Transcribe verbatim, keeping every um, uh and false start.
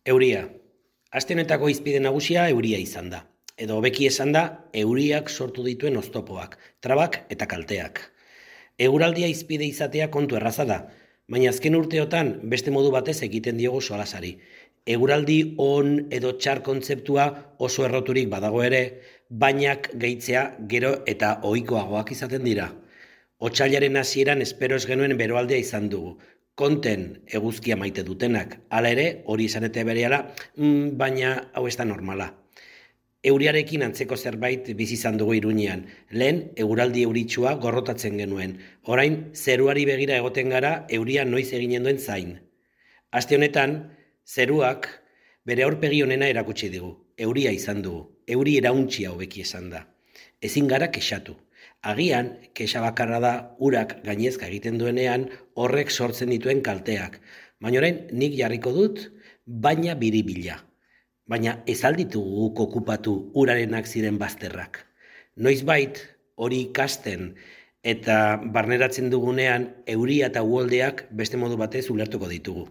Euria. Aste honetako hizpide nagusia euria izan da. Edo hobeki esan da, euriak sortu dituen oztopoak, trabak eta kalteak. Eguraldia hizpide izatea kontu erraza da, baina azken urteotan beste modu batez egiten diogu solasari. Eguraldi on edo txar kontzeptua oso erroturik badago ere, bainak gehitzea gero eta ohikoagoak izaten dira. Otsailaren hasieran espero ez genuen beroaldea izan dugu. Konten eguzkia maite dutenak, hala ere, hori izanete berehala, mm, baina hau ez da normala. Euriarekin antzeko zerbait bizi izan dugu Iruñean. Lehen, eguraldi euritsua gorrotatzen genuen. Orain, zeruari begira egoten gara euria noiz eginen duen zain. Aste honetan, zeruak bere aurpegi onena erakutsi digu. Euria izan dugu. Euri irauntsia hobeki esan da. Ezin gara kexatu. Agian, kexa bakarra da urak gainezka egiten duenean horrek sortzen dituen kalteak. Baina orain, nik jarriko dut, baina biribila. Baina ez alditugu guk okupatu urarenak ziren bazterrak. Noizbait hori ikasten eta barneratzen dugunean euria eta uholdeak beste modu batez ulertuko ditugu.